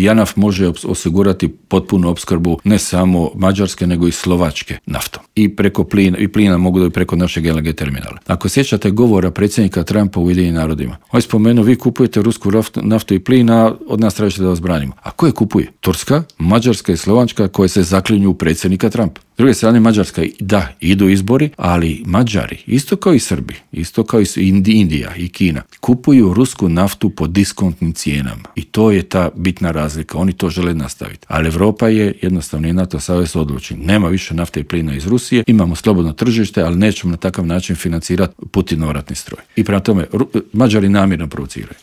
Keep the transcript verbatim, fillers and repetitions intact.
JANAF može osigurati potpunu opskrbu ne samo Mađarske, nego i Slovačke naftom. I preko plina, i plina mogu da i preko našeg L N G terminala. Ako sjećate govora predsjednika Trumpa u Ujedinjenim narodima, on je spomenuo, vi kupujete rusku naftu i plina, od nas tražite da vas branimo. A ko je kupuje? Turska, Mađarska i Slovačka koje se zaklinju u predsjednika Trumpa. S druge strane, Mađarska, da, idu izbori, ali Mađari, isto kao i Srbi, isto kao i Indija i Kina, kupuju rusku naftu po diskontnim cijenama. I to je ta bitna razlika. Oni to žele nastaviti. Ali Europa je jednostavno i NATO savez odlučen. Nema više nafte i plina iz Rusije, imamo slobodno tržište, ali nećemo na takav način financirati Putinov ratni stroj. I prema tome, Mađari namjerno provociraju.